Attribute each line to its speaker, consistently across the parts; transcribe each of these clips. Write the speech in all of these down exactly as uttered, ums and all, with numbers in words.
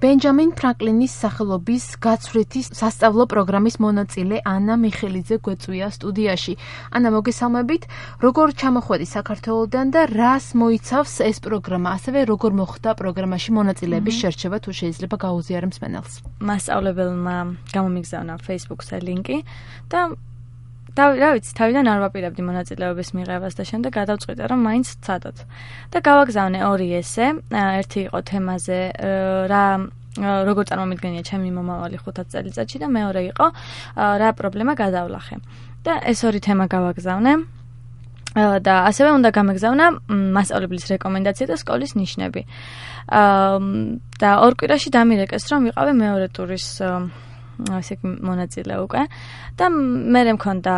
Speaker 1: ბენჯამინ ფრანკლინის სახელობის გაცვლითი სასწავლო პროგრამის მონაწილე ანა მიხელიძე გვეწვია სტუდიაში. ანა, მოგესალმებით. როგორ ჩამოხვედი საქართველოდან და რას მოიცავს ეს პროგრამა? ასევე როგორ მოხდა პროგრამაში მონაწილეების შერჩევა, თუ შეიძლება გაუზიარე მსმენელს?
Speaker 2: მასწავლებელმა გამომიგზავნა Facebook-ზე ლინკი და და რა ვიცი, თავიდან არ ვაპირებდი მონაწილეობის მიღებას და შემდეგ გადავწყვიტე, რომ მაინც ვცადოთ. და გავაგზავნე ორი ესე, ერთი იყო თემაზე რა როგორ წარმომიდგენია ჩემი მომავალი ხუთად წელიწადში და მეორე იყო რა პრობლემა გადავლახე. და ეს ორი თემა გავაგზავნე. და ასევე უნდა გამეგზავნა მასწავლებლის რეკომენდაცია და სკოლის ნიშნები. და ორ კვირაში დამირეკეს, რომ ვიყავი მეორე ტურის ასე მონაწილე უკვე და მე მქონდა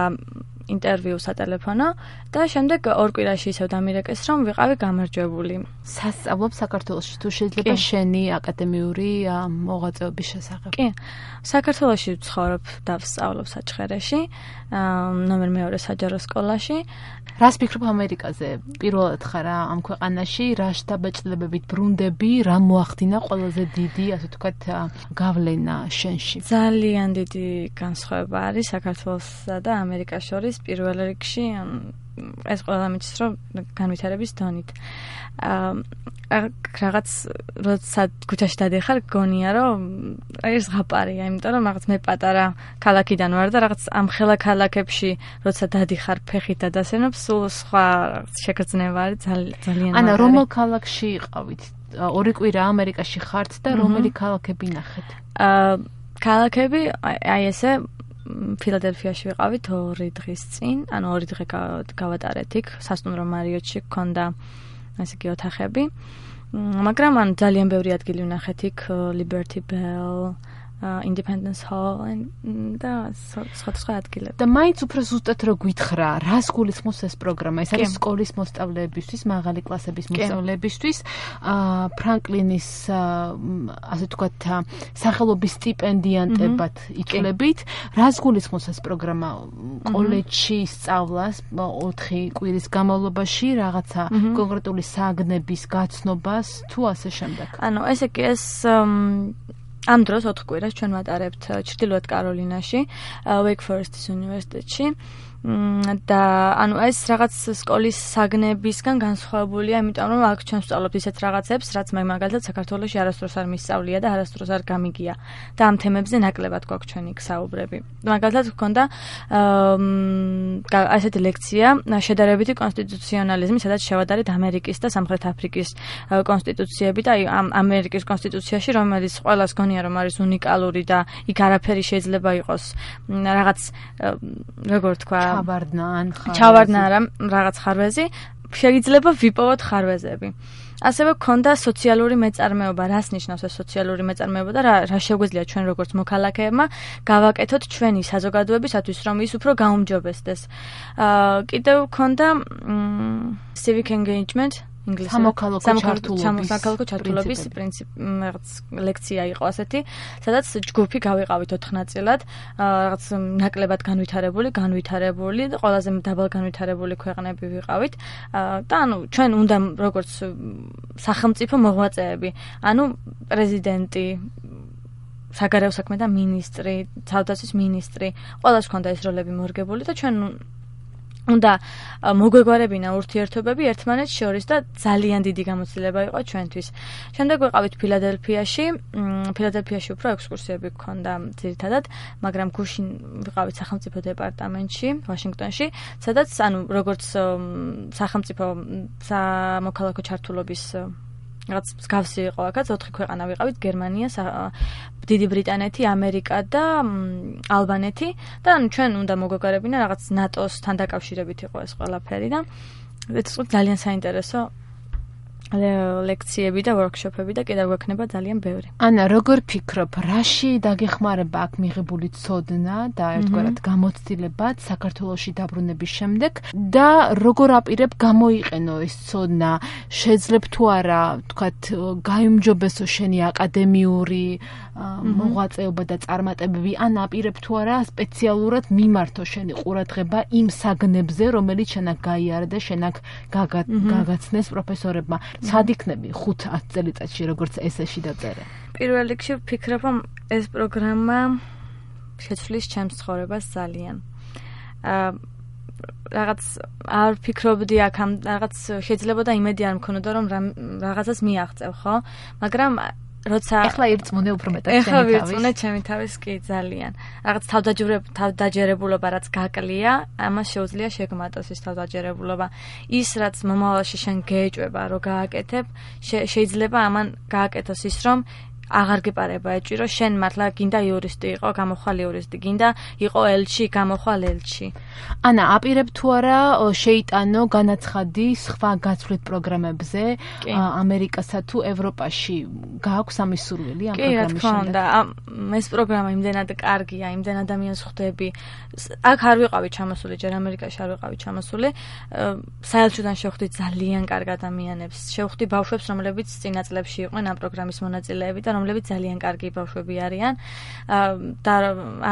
Speaker 2: ინტერვიუ სატელეფონო და შემდეგ ორ კვირაში ისევ დამირეკეს, რომ ვიყავი გამარჯვებული.
Speaker 1: სასწავლობ საქართველოში, თუ შეიძლება შენი აკადემიური მოღვაწეობის შესახებ?
Speaker 2: კი. საქართველოში ვცხოვრობ და ვსწავლობ საჩხერეში, ნომერ მეორე საჯარო სკოლაში.
Speaker 1: რას ფიქრობ ამერიკაზე? პირველად ხარ ამ ქვეყანაში, რა შთაბეჭდილებებით ბრუნდები, რა მოახდინა ყველაზე დიდი, ასე ვთქვათ, გავლენა შენში?
Speaker 2: ძალიან დიდი განსხვავება არის საქართველოსა და ამერიკას შორის. პირველ რიგში ეს ყველა მიჩნევს, რომ განვითარების დონით. რაღაც როცა ქუჩაში დადიხარ, გონია, რომ ეს ზღაპარია, იმიტომ რომ რაღაც მე პატარა ქალაქიდან ვარ და რაღაც ამ ხელა ქალაქებში როცა დადიხარ ფეხით და დასენებ, სულ სხვა შეგრძნება არის ძალიან.
Speaker 1: ანა, რომელ ქალაქში იყავით? ორი კვირა ამერიკაში ხართ და რომელი ქალაქები ნახეთ?
Speaker 2: ქალაქები აი ესე ფილადელფიაში ვიყავით ორი დღის წინ, ანუ ორი დღე გავატარეთ იქ, სასტუმრო მარიოტში გქონდა ასე იგი ოთახები. მაგრამ ან ძალიან ბევრი ადგილი ვნახეთ იქ, Liberty Bell, Independence Hall და სხვა ადგილები.
Speaker 1: და მაინც უფრო ზუსტად რო გითხრა, რას გულისხმობს ეს პროგრამა? ეს არის სკოლის მოსწავლეებისთვის, მაღალი კლასების მოსწავლეებისთვის, ფრანკლინის ასე ვთქვათ, სახელობის სტიპენდიანტებად იცვლებით. რას გულისხმობს ეს პროგრამა? კოლეჯში სწავლას ოთხი კვირის განმავლობაში, რაღაცა კონკრეტული საგნების გაცნობას თუ ასე შემდეგ?
Speaker 2: ანუ ესე კი ეს ამ დროს ოთხ კვირას ჩვენ ვატარებთ ჩრდილოეთ კაროლინაში, Wake Forest-ის უნივერსიტეტში. და ანუ ეს რაღაც სკოლის საგნებისგან განსხვავებულია, იმიტომ რომ აქ ჩვენ ვსწავლობთ ისეთ რაღაცებს, რაც მე მაგალითად საქართველოში არასდროს არ მისწავლია და არასდროს არ გამიგია. და ამ თემებზე ნაკლებად გვაქვს ჩვენი საუბრები. მაგალითად გვქონდა ასეთი ლექცია შედარებითი კონსტიტუციონალიზმი, სადაც შევადარეთ ამერიკის და სამხრეთ აფრიკის კონსტიტუციები და აი ამ ამერიკის კონსტიტუციაში, რომელიც ყველას გონია რომ არის უნიკალური და იქ არაფერი შეიძლება იყოს რაღაც როგორ თქვა
Speaker 1: ჩავარდნა ან ხარვეზი.
Speaker 2: ჩავარდნა არა, რაღაც ხარვეზი, შეიძლება ვიპოვოთ ხარვეზები. ასევე გქონდა სოციალური მეწარმეობა, რას ნიშნავს ეს სოციალური მეწარმეობა და რა რა შეგვიძლია ჩვენ როგორც მოქალაქეებმა გავაკეთოთ ჩვენი საზოგადოებისათვის, რომ ის უფრო გაუმჯობესდეს. კიდევ გქონდა civic engagement ინგლისურად სამოქალაქო ჩართულობის პრინციპი, რაღაც ლექცია იყო ასეთი, სადაც ჯგუფი გავიყავით ოთხ ნაწილად, რაღაც ნაკლებად განვითარებული, განვითარებული და ყველაზე დაბალ განვითარებული ქვეყნები ვიყავით. და ანუ ჩვენ უნდა როგორც სახელმწიფო მოღვაწეები, ანუ პრეზიდენტი, საგარეო საქმეთა მინისტრი, თავდაცვის მინისტრი, ყველას ჰქონდა ეს როლები მორგებული და ჩვენ უნდა მოგვეგვარებინა ურთიერთობები ერთმანეთს შორის და ძალიან დიდი გამოცდილება იყო ჩვენთვის. შემდეგ ვიყავით ფილადელფიაში, ფილადელფიაში უფრო ექსკურსიები გქონდა ძირითადად, მაგრამ გუშინ ვიყავით სახელმწიფო დეპარტამენტში, ვაშინგტონში, სადაც ანუ როგორც სახელმწიფო სამოქალაქო ჩართულობის რაღაც მსგავსი იყო აქაც, ოთხი ქვეყანა ვიყავით, გერმანია, დიდი ბრიტანეთი, ამერიკა და ალბანეთი და ჩვენ უნდა მოგვეგვარებინა რაღაც ნატოსთან დაკავშირებით იყო ეს ყველაფერი და ეს ძალიან საინტერესო ლექციები და ვორქშოპები და კიდევ გვექნება ძალიან ბევრი.
Speaker 1: ანა, როგორ ფიქრობ, რაში დაგეხმარება აქ მიღებული ცოდნა და ერთგვარად გამოცდილებაც საქართველოში დაბრუნების შემდეგ და როგორ აპირებ გამოიყენო ეს ცოდნა? შეძლებ თუ არა, ვთქვათ, გაიმჯობესო შენი აკადემიური მოღვაწეობა და წარმატებები, ან აპირებ თუ არა სპეციალურად მიმართო შენი ყურადღება იმ საგნებზე, რომელიც შენ აქ გაიარა და შენ აქ გაგაცნეს პროფესორებმა. სად იქნები ხუთ-ათ წელიწადში, როგორც ესეში დაწერე?
Speaker 2: პირველ რიგში ვფიქრობ, რომ ეს პროგრამა შეცვლის ჩემს ცხოვრებას ძალიან. აა რაღაც არ ვფიქრობდი აქ ამ რაღაც შეიძლება და იმედი არ მქონოდა რომ რაღაცას მიაღწევ, ხო? მაგრამ როცა
Speaker 1: ეხლა ირწმუნე უფრო მეტად
Speaker 2: ჩემი თავის. ეხლა ვირწმუნე ჩემი თავის კი ძალიან. რაღაც თავდაჯერებულობა რაც გაკლია, ამას შეუძლია შეგმატოს ის თავდაჯერებულობა. ის რაც მომავალში შენ გეეჭვება რომ გააკეთებ, შეიძლება ამან გააკეთოს ის რომ აღარ გეპარება ეჭვი, შენ მართლა გინდა იურისტი იყო, გამოხვალ იურისტი, გინდა იყო ელჩი, გამოხვალ ელჩი.
Speaker 1: ანა, აპირებ თუ არა შეიტანო განაცხადი სხვა გაცვლით პროგრამებზე ამერიკასა თუ ევროპაში? გააქვს ამის სურვილი ამ პროგრამის
Speaker 2: შემდგომ? და ეს პროგრამა იმდენად კარგია, იმდენ ადამიანს ხვდები. აქ არ ვიყავი ჩამოსული, ჯერ ამერიკაში არ ვიყავი ჩამოსული. საელჩოდან შევხვდი ძალიან კარგ ადამიანებს. შევხვდი ბავშვებს, რომლებიც წინა წლებში იყვნენ ამ პროგრამის მონაწილეები და რომლებიც ძალიან კარგი ბავშვები არიან და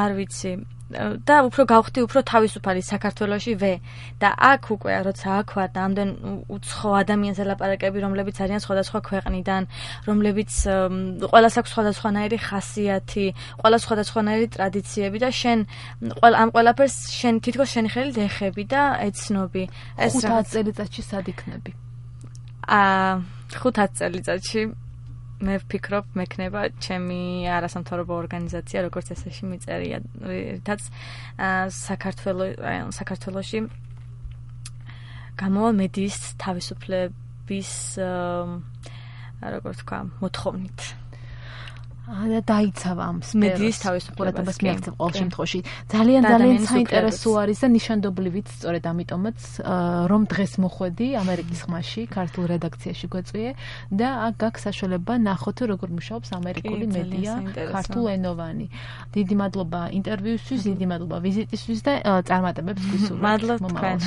Speaker 2: არ ვიცი და უფრო გავხდი უფრო თავისუფალი საქართველოში ვე და აქ უკვე როცა აქ ვარ და ამდენ უცხო ადამიანს ელაპარაკები, რომლებიც არიან სხვადასხვა ქვეყნიდან, რომლებიც ყველას აქვს სხვადასხვანაირი ხასიათი, ყველას სხვადასხვანაირი ტრადიციები და შენ ამ ყველაფერს შენ თითქოს შენი ხელით ეხები და ეცნობი.
Speaker 1: ეს ხუთ წელიწადში სად იქნები?
Speaker 2: აა ხუთ წელიწადში მე ვფიქრობ, მექნება ჩემი არასამთავრობო ორგანიზაცია, როგორც ესეში მიწერია, რითაც საქართველოს საქართველოში გამოვა მედიის თავისუფლების როგორც თქვა, მოთხოვნით.
Speaker 1: და დაიცავა ამ
Speaker 2: მედიის თავისუფლებას
Speaker 1: მიაღწევ ყოველ შემთხვევაში. ძალიან ძალიან საინტერესო არის და ნიშანდობლივიც, სწორედ ამიტომაც რომ დღეს მოხვედი ამერიკის ხმაში, ქართულ რედაქციაში გვეწვიე და აქ გაქვს საშუალება ნახოთ როგორ მუშაობს ამერიკული მედია ქართულენოვანი. დიდი მადლობა ინტერვიუსთვის, დიდი მადლობა ვიზიტისთვის და წარმატებებს გისურვებთ.
Speaker 2: მადლობთ თქვენ.